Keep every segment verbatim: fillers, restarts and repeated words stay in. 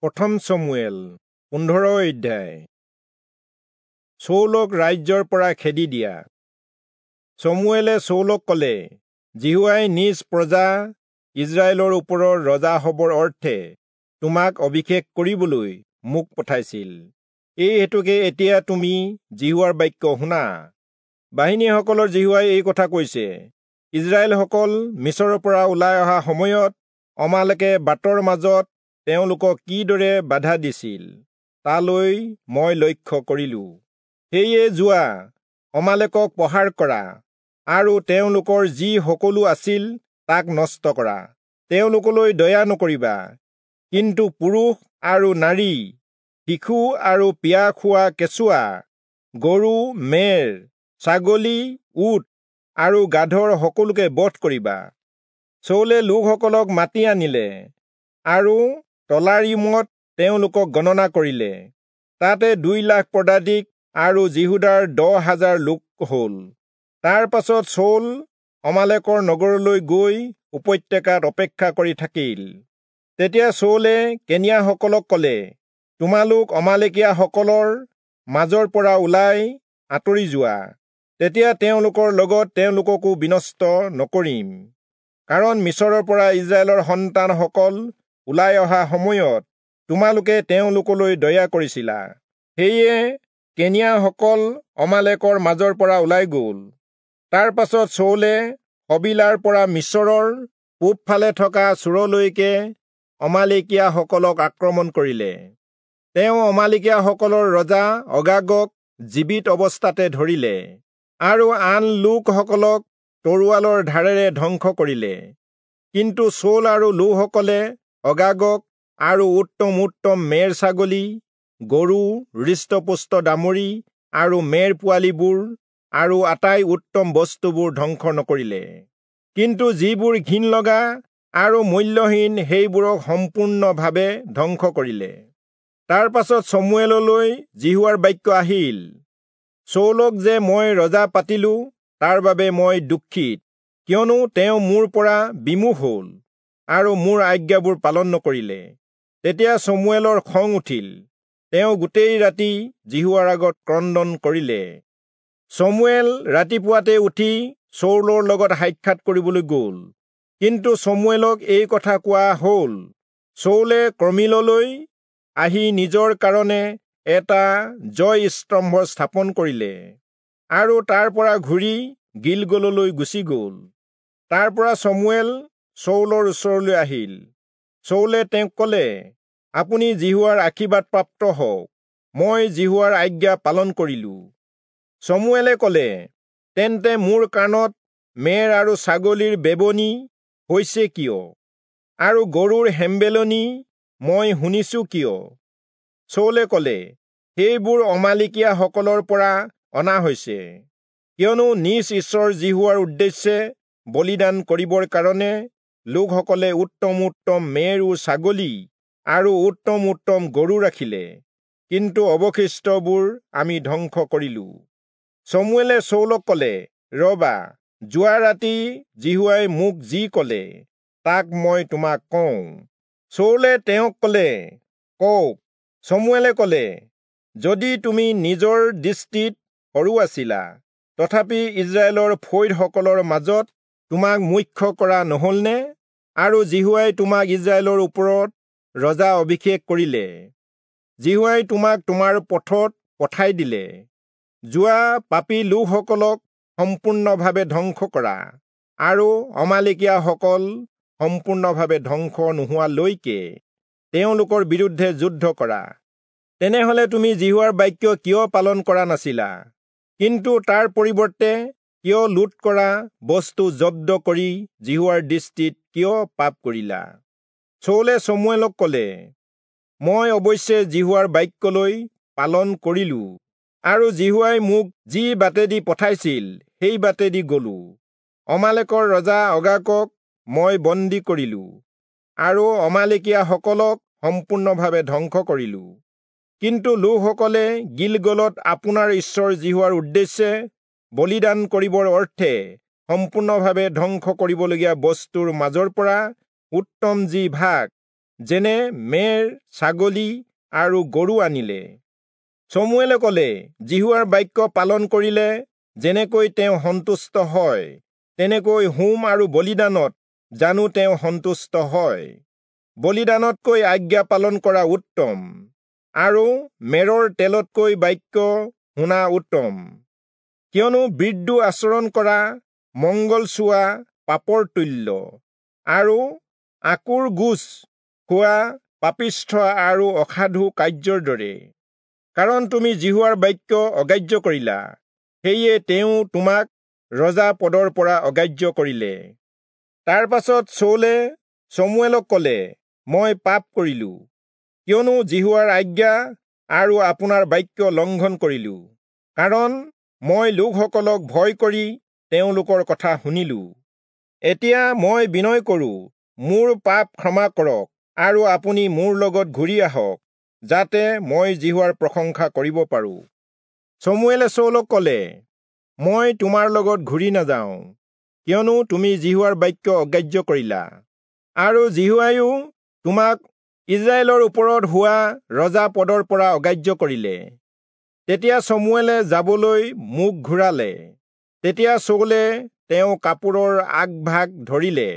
প্ৰথম চমূৱেল পোন্ধৰ অধ্যায়। চৌলক ৰাজ্যৰ পৰা খেদি দিয়া। চমূৱেলে চৌলক কলে, যিহোৱাই নিজ প্ৰজা ইস্ৰায়েলৰ ওপৰৰ ৰজা হবৰ অৰ্থে তোমাক অভিষেক কৰিবলৈ মোক পঠাইছিল। এই হেতুকে এতিয়া তুমি যিহোৱাৰ বাক্য শুনা। বাহিনীসকলৰ যিহোৱাই এই কথা কৈছে, ইস্ৰায়েলসকল মিচৰৰ পৰা ওলাই অহা সময়ত অমালেকে বাটৰ মাজত তেওঁলোকক কিদৰে বাধা দিছিল, তালৈ মই লক্ষ্য কৰিলো। সেয়ে যোৱা, অমালেকক প্ৰহাৰ কৰা আৰু তেওঁলোকৰ যি সকলো আছিল তাক নষ্ট কৰা। তেওঁলোকলৈ দয়া নকৰিবা, কিন্তু পুৰুষ আৰু নাৰী, শিশু আৰু পিয়াহ খোৱা কেঁচুৱা, গৰু, মেৰ, ছাগলী, উট আৰু গাধৰ সকলোকে বধ কৰিবা। চৌলে লোকসকলক মাতি আনিলে আৰু তলাৰীমত তেওঁলোকক গণনা কৰিলে। তাতে দুই লাখ পদাতিক আৰু যিহূদাৰ দহ হাজাৰ লোক হল। তাৰ পাছত চৌল অমালেকৰ নগৰলৈ গৈ উপত্যকাত অপেক্ষা কৰি থাকিল। তেতিয়া চৌলে কেনিয়াসকলক কলে, তোমালোক অমালেকীয়াসকলৰ মাজৰ পৰা ওলাই আঁতৰি যোৱা, তেতিয়া তেওঁলোকৰ লগত তেওঁলোককো বিনষ্ট নকৰিম। কাৰণ মিচৰৰ পৰা ইস্ৰায়েলৰ সন্তানসকল ওলাই অহা সময়ত তোমালোকে তেওঁলোকলৈ দয়া কৰিছিলা। সেয়ে কেনিয়াসকল অমালেকৰ মাজৰ পৰা ওলাই গল। তাৰ পাছত চৌলে হবিলাৰ পৰা মিচৰৰ পূবফালে থকা চূৰলৈকে অমালেকীয়াসকলক আক্ৰমণ কৰিলে। তেওঁ অমালেকীয়াসকলৰ ৰজা অগাগক জীৱিত অৱস্থাতে ধৰিলে আৰু আন লোকসকলক তৰোৱালৰ ধাৰেৰে ধ্বংস কৰিলে। কিন্তু চৌল আৰু লোকসকলে অগাগক আৰু উত্তম উত্তম মেৰ ছাগলী, গৰু, হৃষ্টপুষ্ট দামুৰি আৰু মেৰ পোৱালিবোৰ আৰু আটাই উত্তম বস্তুবোৰ ধ্বংস নকৰিলে। কিন্তু যিবোৰ ঘিণ লগা আৰু মূল্যহীন সেইবোৰক সম্পূৰ্ণভাৱে ধ্বংস কৰিলে। তাৰ পাছত চমূৱেললৈ যিহোৱাৰ বাক্য আহিল, চৌলক যে মই ৰজা পাতিলো তাৰ বাবে মই দুখিত, কিয়নো তেওঁ মোৰ পৰা বিমুখ হল আৰু মোৰ আজ্ঞাবোৰ পালন নকৰিলে। তেতিয়া চমূৱেলৰ খং উঠিল, তেওঁ গোটেই ৰাতি যিহোৱাৰ আগত ক্ৰন্দন কৰিলে। চমূৱেল ৰাতিপুৱাতে উঠি চৌলৰ লগত সাক্ষাৎ কৰিবলৈ গল। কিন্তু চমূৱেলক এই কথা কোৱা হল, চৌলে কৰ্মিললৈ আহি নিজৰ কাৰণে এটা জয় স্তম্ভ স্থাপন কৰিলে আৰু তাৰ পৰা ঘূৰি গিলগললৈ গুচি গল। তাৰ পৰা চমূৱেল চৌলৰ ওচৰলৈ আহিল। চৌলে তেওঁক কলে, আপুনি যিহোৱাৰ আশীৰ্বাদ প্ৰাপ্ত হওক, মই যিহোৱাৰ আজ্ঞা পালন কৰিলো। চমূৱেলে কলে, তেন্তে মোৰ কাণত মেৰ আৰু ছাগলীৰ বেবনি হৈছে কিয়, আৰু গৰুৰ হেম্বেলনি মই শুনিছো কিয়? চৌলে কলে, সেইবোৰ অমালেকীয়াসকলৰ পৰা অনা হৈছে, কিয়নো নিজ ঈশ্বৰ যিহোৱাৰ উদ্দেশ্যে বলিদান কৰিবৰ কাৰণে লোকসকলে উত্তম উত্তম মেৰ ও ছাগলী আৰু উত্তম উত্তম গৰু ৰাখিলে, কিন্তু অৱশিষ্টবোৰ আমি ধ্বংস কৰিলো। চমূৱেলে চৌলক কলে, ৰবা, যোৱা ৰাতি যিহোৱাই মোক যি কলে তাক মই তোমাক কওঁ। চৌলে তেওঁক কলে, কওক। চমূৱেলে কলে, যদি তুমি নিজৰ দৃষ্টিত সৰু আছিলা, তথাপি ইস্ৰায়েলৰ ফৈদসকলৰ মাজত তোমাক মুখ্য কৰা নহলনে? আৰু যিহোৱাই তোমাক ইস্ৰায়েলৰ ওপৰত ৰজা অভিষেক কৰিলে। যিহোৱাই তোমাক তোমাৰ পথত পঠাই দিলে। যোৱা, পাপী লোকসকলক সম্পূৰ্ণভাৱে ধ্বংস কৰা আৰু অমালেকীয়াসকল সম্পূৰ্ণভাৱে ধ্বংস নোহোৱালৈকে তেওঁলোকৰ বিৰুদ্ধে যুদ্ধ কৰা। তেনেহলে তুমি যিহোৱাৰ বাক্য কিয় পালন কৰা নাছিলা? কিন্তু তাৰ পৰিৱৰ্তে কিয় লুট কৰা বস্তু জব্দ কৰি যিহোৱাৰ দৃষ্টিত কিয় পাপ কৰিলা? চৌলে চমূৱেলক কলে, মই অৱশ্যে যিহোৱাৰ বাক্যলৈ পালন কৰিলো আৰু যিহোৱাই মোক যি বাটেদি পঠাইছিল সেই বাটেদি গলো। অমালেকৰ ৰজা অগাগক মই বন্দী কৰিলো আৰু অমালেকীয়াসকলক সম্পূৰ্ণভাৱে ধ্বংস কৰিলো। কিন্তু লোকসকলে গিলগলত আপোনাৰ ঈশ্বৰ যিহোৱাৰ উদ্দেশ্যে বলিদান কৰিবৰ অৰ্থে সম্পূৰ্ণভাৱে ধ্বংস কৰিবলগীয়া বস্তুৰ মাজৰ পৰা উত্তম যি ভাগ যেনে মেৰ, ছাগলী আৰু গৰু আনিলে। চমুৱেলে কলে, যিহোৱাৰ বাক্য পালন কৰিলে যেনেকৈ তেওঁ সন্তুষ্ট হয়, তেনেকৈ হোম আৰু বলিদানত জানো তেওঁ সন্তুষ্ট হয়। বলিদানতকৈ আজ্ঞা পালন কৰা উত্তম, আৰু মেৰৰ তেলতকৈ বাক্য শুনা উত্তম। কিয়নো বৃদ্ধ আচৰণ কৰা মংগল চোৱা পাপৰ তুল্য, আৰু আকুৰ গোচ খোৱা পাপিষ্ঠ আৰু অসাধু কাৰ্যৰ দৰে। কাৰণ তুমি যিহোৱাৰ বাক্য অগ্ৰাহ্য কৰিলা, সেয়ে তেওঁ তোমাক ৰজা পদৰ পৰা অগ্ৰাহ্য কৰিলে। তাৰ পাছত চৌলে চমুৱেলক কলে, মই পাপ কৰিলো, কিয়নো যিহোৱাৰ আজ্ঞা আৰু আপোনাৰ বাক্য লংঘন কৰিলো, কাৰণ মই লোকসকলক ভয় কৰি তেওঁলোকৰ কথা শুনিলো। এতিয়া মই বিনয় কৰো, মোৰ পাপ ক্ষমা কৰক, আৰু আপুনি মোৰ লগত ঘূৰি আহক, যাতে মই যিহোৱাৰ প্ৰশংসা কৰিব পাৰো। চমুৱেলে চৌলক কলে, মই তোমাৰ লগত ঘূৰি নাযাওঁ, কিয়নো তুমি যিহোৱাৰ বাক্য অগ্ৰাহ্য কৰিলা, আৰু যিহোৱাইও তোমাক ইস্ৰায়েলৰ ওপৰত হোৱা ৰজা পদৰ পৰা অগ্ৰাহ্য কৰিলে। তেতিয়া চমুৱেলে যাবলৈ মুখ ঘূৰালে। তেতিয়া চৌলে তেওঁ কাপোৰৰ আগভাগ ধৰিলে,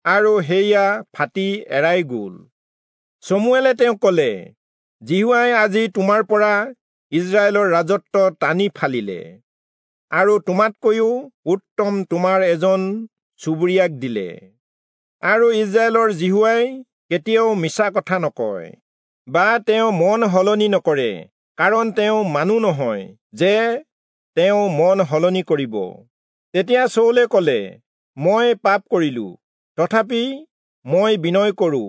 আৰু সেয়া ফাটি এৰাই গল। চমুৱেলে তেওঁক কলে, যিহোৱাই আজি তোমাৰ পৰা ইস্ৰায়েলৰ ৰাজত্ব টানি ফালিলে, আৰু তোমাতকৈও উত্তম তোমাৰ এজন চুবুৰীয়াক দিলে। আৰু ইস্ৰায়েলৰ যিহোৱাই কেতিয়াও মিছা কথা নকয়, বা তেওঁ মন সলনি নকৰে, কাৰণ তেওঁ মানুহ নহয় যে তেওঁ মন সলনি কৰিব। তেতিয়া চৌলে কলে, মই পাপ কৰিলো, তথাপি মই বিনয় কৰো,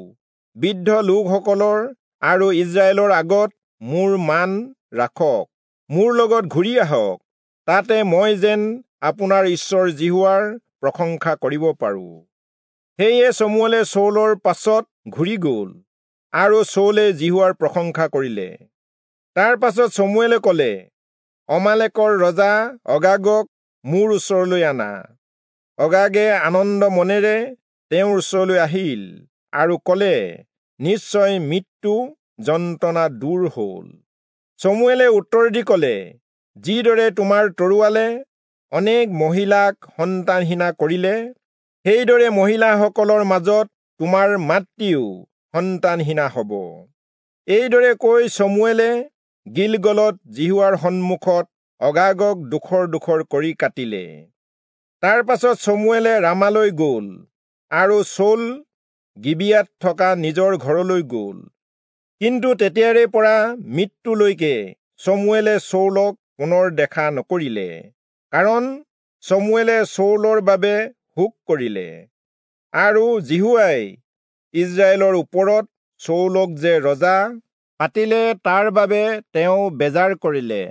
বৃদ্ধ লোকসকলৰ আৰু ইস্ৰায়েলৰ আগত মোৰ মান ৰাখক, মোৰ লগত ঘূৰি আহক, তাতে মই যেন আপোনাৰ ঈশ্বৰ যিহোৱাৰ প্ৰশংসা কৰিব পাৰো। সেয়ে চমুৱেলে চৌলৰ পাছত ঘূৰি গল, আৰু চৌলে যিহোৱাৰ প্ৰশংসা কৰিলে। তাৰ পাছত চমুৱেলে কলে, অমালেকৰ ৰজা অগাগক মোৰ ওচৰলৈ আনা। অগাগে আনন্দ মনেৰে তেওঁৰ ওচৰলৈ আহিল আৰু কলে, নিশ্চয় মৃত্যু যন্ত্ৰণা দূৰ হল। চমুৱেলে উত্তৰ দি কলে, যিদৰে তোমাৰ তৰোৱালে অনেক মহিলাক সন্তানহীনা কৰিলে, সেইদৰে মহিলাসকলৰ মাজত তোমাৰ মাতৃও সন্তানহীনা হব। এইদৰে কৈ চমুৱেলে গিলগলত যিহোৱাৰ সন্মুখত অগাগক ডোখৰ ডোখৰ কৰি কাটিলে। তাৰ পাছত চমুৱেলে ৰামালৈ গল, আৰু চৌল গিবিয়াত থকা নিজৰ ঘৰলৈ গল। কিন্তু তেতিয়াৰে পৰা মৃত্যুলৈকে চমুৱেলে চৌলক পুনৰ দেখা নকৰিলে, কাৰণ চমুৱেলে চৌলৰ বাবে শোক কৰিলে, আৰু যিহোৱাই ইস্ৰায়েলৰ ওপৰত চৌলক যে ৰজা পাতিলে তাৰ বাবে তেওঁ বেজাৰ কৰিলে।